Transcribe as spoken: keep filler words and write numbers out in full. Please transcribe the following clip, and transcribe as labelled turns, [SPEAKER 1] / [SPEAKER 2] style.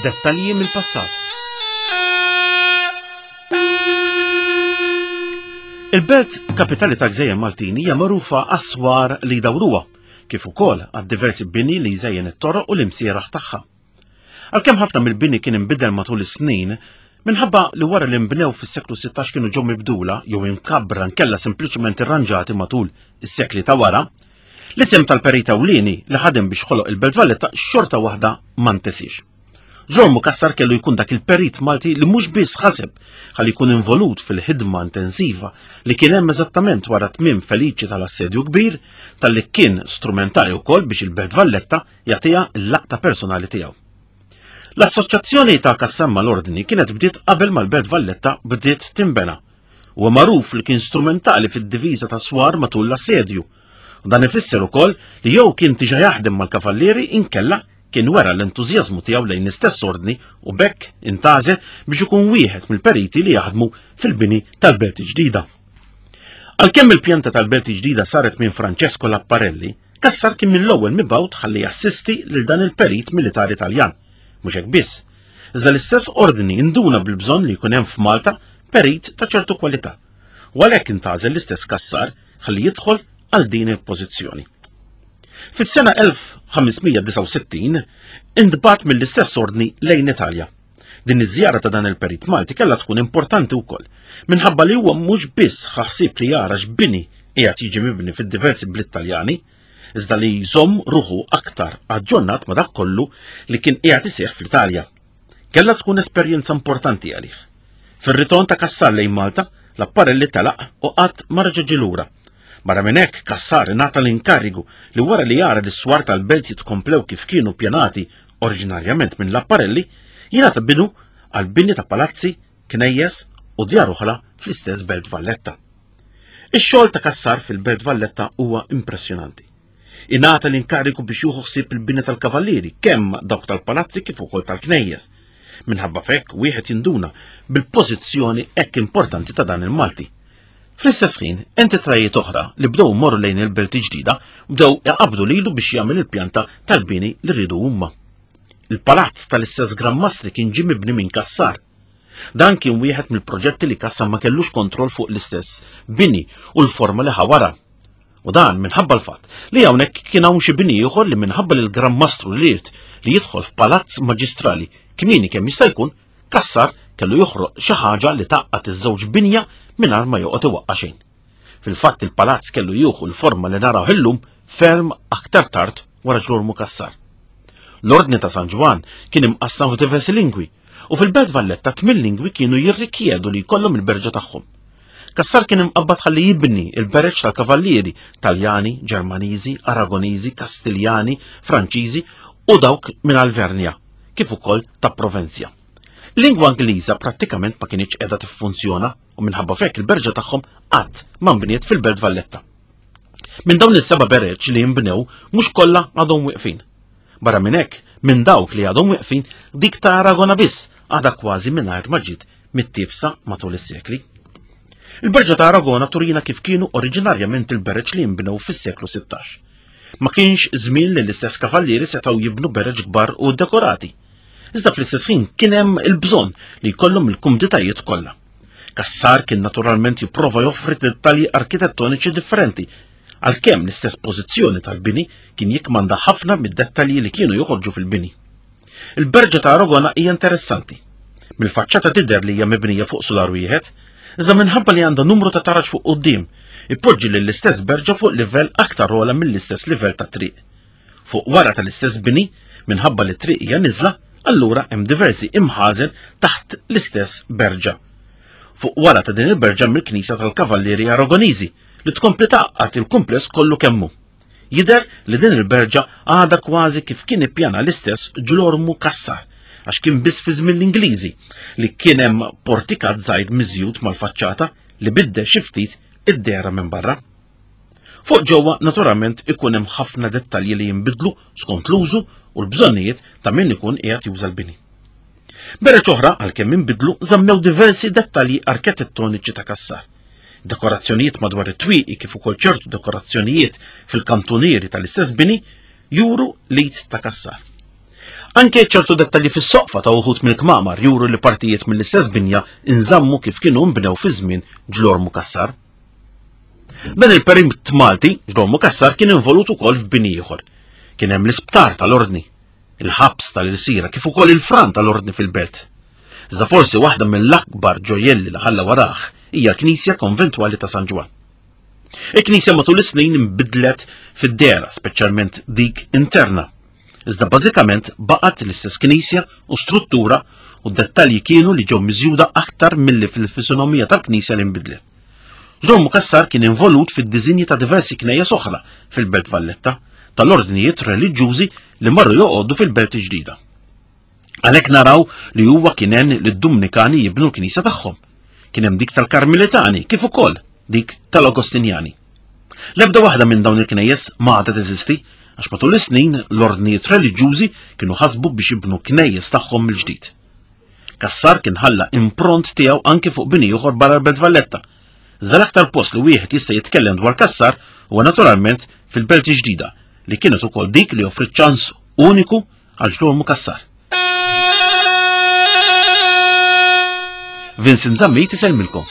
[SPEAKER 1] Dettalji mill-passat. Il-belt kapitali ta' Gżejjer Maltin hija magħrufa għas-swar li jdawruha, kif ukoll għad-diversi bini li jżejjen it-toroq u l-imsieraħ tagħha. Għalkemm ħafna mill-bini kien inbidel matul is-snin, minħabba li wara li nbnew fis-seklu sittax kienu ġew mibdula jew imkabbra nkella sempliċement irranġati matul is-sekli ta' wara, l-isem tal-perit ewlieni li ħadem biex ħoloq il-Belt Valletta xorta waħda ma ntesiex. Ġormu Cassar kellu jkun dak il-perit Malti li mhux biss ħaseb ħalli jkun involut fil-ħidma intensiva li kien hemm eżattament wara tmiem feliċi tal-assedju kbir, talli kien strumentali wkoll biex il-Belt Valletta jagħtiha l-laqta personali tiegħu. L-assoċjazzjoni ta' Cassar mal-Ordni kienet bdiet qabel mal-Belt Valletta bdiet tinbena. Huwa magħruf li kien strumentali fid-diviża ta' swar matul l-assedju. U dan ifisser ukoll li jew kien diġà jaħdem mal-kavallieri inkella kien wera l-entużjażmu tiegħu lejn l-istess ordni u b'hekk intgħażel biex ikun wieħed mill-periti li jaħdmu fil-bini tal-Belt Ġdida. Għalkemm il-pjanta tal-Belt Ġdida saret minn Francesco Laparelli, Cassar kien mill-ewwel mibgħut ħalli jassisti lil dan il-perit militari Taljan. Mhux hekk biss, iżda l-istess ordni induna bil-bżonn li jkun hemm f'Malta perit ta' ċertu kwalità. U għalhekk intgħażel l-istess Cassar ħalli jidħol għal din il-pożizzjoni. Fis-sena elf ħames mija disgħa u sittin intbagħat mill-istess ordni lejn Italja. Din iż-żjara ta' dan il-perit Malti kellha tkun importanti wkoll, minħabba li huwa mhux biss ħassib li jara x'bini qiegħed jiġi mibni fid-diversi bliet Taljani, iżda li jżomm ruħu aktar aġġornat ma' dak kollu li kien qiegħed iseħħ fl-Italja. Kellha tkun esperjenza importanti għalih. Fir-ritorn ta' Cassar lejn Malta, Laparelli telaq u qatt ma reġa' ġie lura. Barra minn hekk, Cassar ingħata l-inkarigu li wara li jara li s-swar tal-belt jitkomplew kif kienu pjanati oriġinarjament minn Laparelli, jingħata bidu għal bini ta' palazzi, knejjes u djar oħra fl-istess Belt Valletta. Ix-xogħol ta' Cassar fil-Belt Valletta huwa impressjonanti. Ingħata l-inkarigu biex jieħu ħsieb il-bini tal-kavallieri, kemm dawk tal-palazzi kif ukoll tal-knejjes. Minħabba f'hekk wieħed jinduna bil-pożizzjoni hekk importanti ta' dan il-Malti. Fl-istess ħin, entitajiet oħra li bdew morru lejn il-Belt Ġdida bdew iqabdu lilu biex jagħmel il-pjanta tal-bini li rridu huma. Il-palazz tal-istess Gran Mastri kien ġie mibni minn Cassar. Dan kien wieħed mill-proġetti li Cassar ma kellux kontroll fuq l-istess bini u l-forma li ħawara. U dan minħabba l-fatt li hawnhekk kien hawn xi bini ieħor li minħabba li l-Gran Mastru li ried li jidħol f'palazz maġistrali kmieni kemm jista' jkun, Cassar kellu joħroq xi ħaġa li taqqat iż-żewġ binja mingħajr ma joqgħod iwaqqa' xejn. Fil-fatt il-palazz kellu jieħu l-forma li naraw illum ferm aktar tard wara Ġlormu Cassar. L-Ordni ta' San Ġwann kien imqassam f'diversi lingwi u fil-Belt Valletta tmien lingwi kienu jirrikjedu li jkollhom il-berġa tagħhom. Cassar kien imqabbad ħalli jibni il-bereġ tal-kavallieri Taljani, Ġermaniżi, Aragoniżi, Kastiljani, Franċiżi u dawk minn Alvernja, kif ukoll ta' Provenzja. Lingwa Ingliża prattikament ma kinitx qiegħda tiffunzjona u minħabba f'hekk il-berġa tagħhom qatt ma nbniet fil-Belt Valletta. Minn dawn is-seba' bereġ li jinbnew mhux kollha għadhom wieqfin. Barra minn hekk, minn dawk li għadhom wieqfin, dik ta' Aragona biss għadha kważi mingħajr ma ġiet mittifsa matul is-sekli. Il-berġa ta' Aragona turina kif kienu oriġinarjament il-bereġ li jinbnew fis-seklu sittax. Ma kienx żmien li l-istess kavallieri setgħu jibnu bereġ kbar u dekorati. Iżda fl-istess ħin kien hemm il-bżonn li jkollhom il-kumditajiet kollha. Cassar kien naturalment jipprova joffri dettalji arkitettoniċi differenti, għalkemm l-istess pożizzjoni tal-bini kien jikmanda ħafna mid-dettalji li kienu joħorġu fil-bini. Il-berġa ta' Aragona hija interessanti. Mill-faċċata tidher li hija mibnija fuq sular wieħed, iżda minħabba li għandha numru ta' taraġ fuq quddiem, ipoġġi lill-istess berġa fuq livell aktar ogħla mill-istess livell ta' triq. Fuq wara tal-istess bini, minħabba li triq hija niżla, allura hemm diversi imħażen taħt l-istess berġa. Fuq wara ta' din il-berġa mill-Knisja tal-Kavallieri Aragoniżi li tkompli tgħaqqad il-kumpless kollu kemmu. Jidher li din il-berġa għadha kważi kif kien ippjana l-istess Ġlormu Cassar, għax kien biss fi żmien l-Ingliżi li kien hemm portikat żgħir miżjud mal-faċċata li biddel xi ftit id-dehra minn barra. Fuq ġewwa naturalment ikun hemm ħafna dettalji li jinbidlu skont l-użu u l-bżonnijiet ta' min ikun qiegħed juża l-bini. Bereġ oħra għalkemm inbidlu żammew diversi dettalji arkitettoniċi ta' Cassar. Dekorazzjonijiet madwar it-twieqi kif ukoll ċertu dekorazzjonijiet fil-kantunieri tal-istess bini juru l-id ta' Cassar. Anke ċertu dettalji fis-soqfa ta' uħud mill-kmamar juru li partijiet mill-istess binja inżammu kif kienu nbnew fi żmien Ġlormu Cassar. Dan il-perit Malti, Ġlormu Cassar, kien involut ukoll f'bini ieħor. Kien hemm l-isptar tal-Ordni, il-ħabs tal-Irsira, kif ukoll il-fran tal-Ordni fil-belt. Iżda forsi waħda mill-akbar ġojjelli li ħalla warah hija l-Knisja Konventwali ta' San Ġwann. Il-Knisja matul is-snin inbidlet fid-dehra, speċjalment dik interna. Iżda bażikament baqgħet l-istess knisja u struttura u d-dettalji kienu li ġew miżjuda aktar milli fil-fisonomija tal-knisja li nbidlet. Ġlormu Cassar kien involut fid-diżinji ta' diversi knejjes oħra fil-Belt Valletta tal-ordnijiet reliġjużi li marru joqogħdu fil-Belt il-Ġdida. Għalhekk naraw li huwa kien għen lid-Dumnikani jibnu l-knisja tagħhom. Kien hemm dik tal-Karmelitani kif ukoll dik tal-Agostinjani. L-ebda waħda minn dawn il-knejjes ma għadha teżisti għax matul is-snin l-ordnijiet reliġjużi kienu ħasbu biex jibnu knejjes tagħhom mill-ġdid. Cassar kien ħalla impront tiegħu anke fuq bini ieħor barra l-Belt Valletta. Iżda l-aktar post li wieħed jista' jitkellem dwar Cassar huwa naturalment fil-Belt il-Ġdida li kienet ukoll dik li offrit ċans uniku għal Ġlormu Cassar. Vincent Zammit isellmilkom.